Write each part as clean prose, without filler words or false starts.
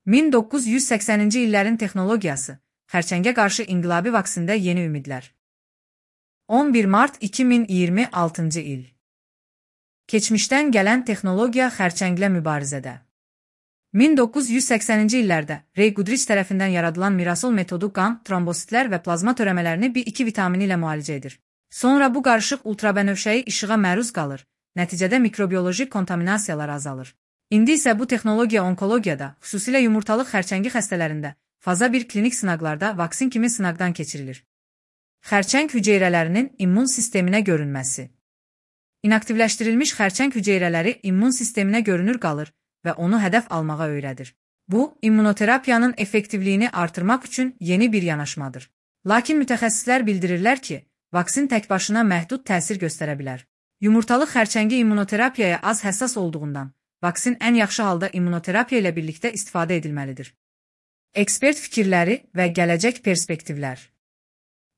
1980-ci illərin texnologiyası, xərçəngə qarşı inqilabi vaksində yeni ümidlər. 11 mart 2026-cı il. Keçmişdən gələn texnologiya xərçənglə mübarizədə. 1980-ci illərdə Ray Goodrich tərəfindən yaradılan Mirasol metodu qan, trombositlər və plazma törəmələrini B2 vitamini ilə müalicə edir. Sonra bu qarışıq ultrabənövşəyi işığa məruz qalır, nəticədə mikrobioloji kontaminasiyalar azalır. İndi isə bu texnologiya onkologiyada, xüsusilə yumurtalıq xərçəngi xəstələrində, faza 1 klinik sınaqlarda vaksin kimi sınaqdan keçirilir. Xərçəng hüceyrələrinin immun sisteminə görünməsi. İnaktivləşdirilmiş xərçəng hüceyrələri immun sisteminə görünür qalır və onu hədəf almağa öyrədir. Bu, immunoterapiyanın effektivliyini artırmaq üçün yeni bir yanaşmadır. Lakin mütəxəssislər bildirirlər ki, vaksin tək başına məhdud təsir göstərə bilər. Yumurtalıq xərçəngi immunoterapiyaya az həssas olduğundan, vaksin ən yaxşı halda immunoterapiya ilə birlikdə istifadə edilməlidir. Ekspert fikirləri və gələcək perspektivlər.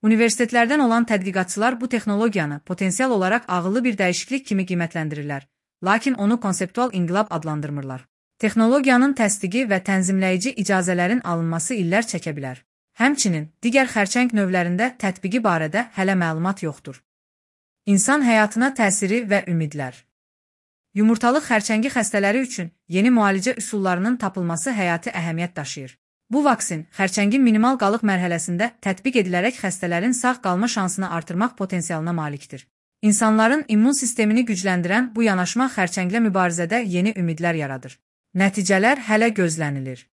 Universitetlərdən olan tədqiqatçılar bu texnologiyanı potensial olaraq ağıllı bir dəyişiklik kimi qiymətləndirirlər, lakin onu konseptual inqilab adlandırmırlar. Texnologiyanın təsdiqi və tənzimləyici icazələrin alınması illər çəkə bilər. Həmçinin, digər xərçəng növlərində tətbiqi barədə hələ məlumat yoxdur. İnsan həyatına təsiri və ümidlər. Yumurtalıq xərçəngi xəstələri üçün yeni müalicə üsullarının tapılması həyati əhəmiyyət daşıyır. Bu vaksin xərçəngin minimal qalıq mərhələsində tətbiq edilərək xəstələrin sağ qalma şansını artırmaq potensialına malikdir. İnsanların immun sistemini gücləndirən bu yanaşma xərçənglə mübarizədə yeni ümidlər yaradır. Nəticələr hələ gözlənilir.